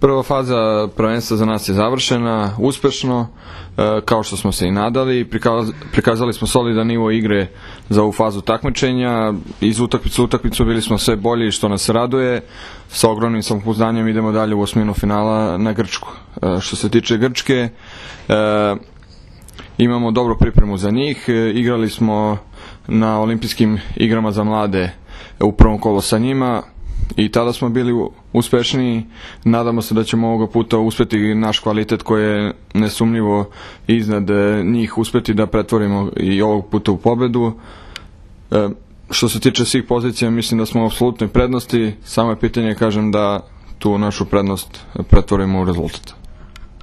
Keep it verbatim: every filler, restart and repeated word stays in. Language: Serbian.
Prva faza prvenstva za nas je završena uspešno, kao što smo se i nadali. Prikazali smo solidan nivo igre za ovu fazu takmičenja. Iz utakmice u utakmicu bili smo sve bolji, što nas raduje. Sa ogromnim samopouzdanjem idemo dalje u osminu finala na Grčku. Što se tiče Grčke, imamo dobru pripremu za njih. Igrali smo na olimpijskim igrama za mlade u prvom kolu sa njima i tada smo bili uspešniji. Nadamo se da ćemo ovoga puta uspeti naš kvalitet koji je nesumnjivo iznad njih uspeti da pretvorimo i ovog puta u pobedu. Što se tiče svih pozicija, mislim da smo u apsolutnoj prednosti, samo je pitanje, kažem, da tu našu prednost pretvorimo u rezultat.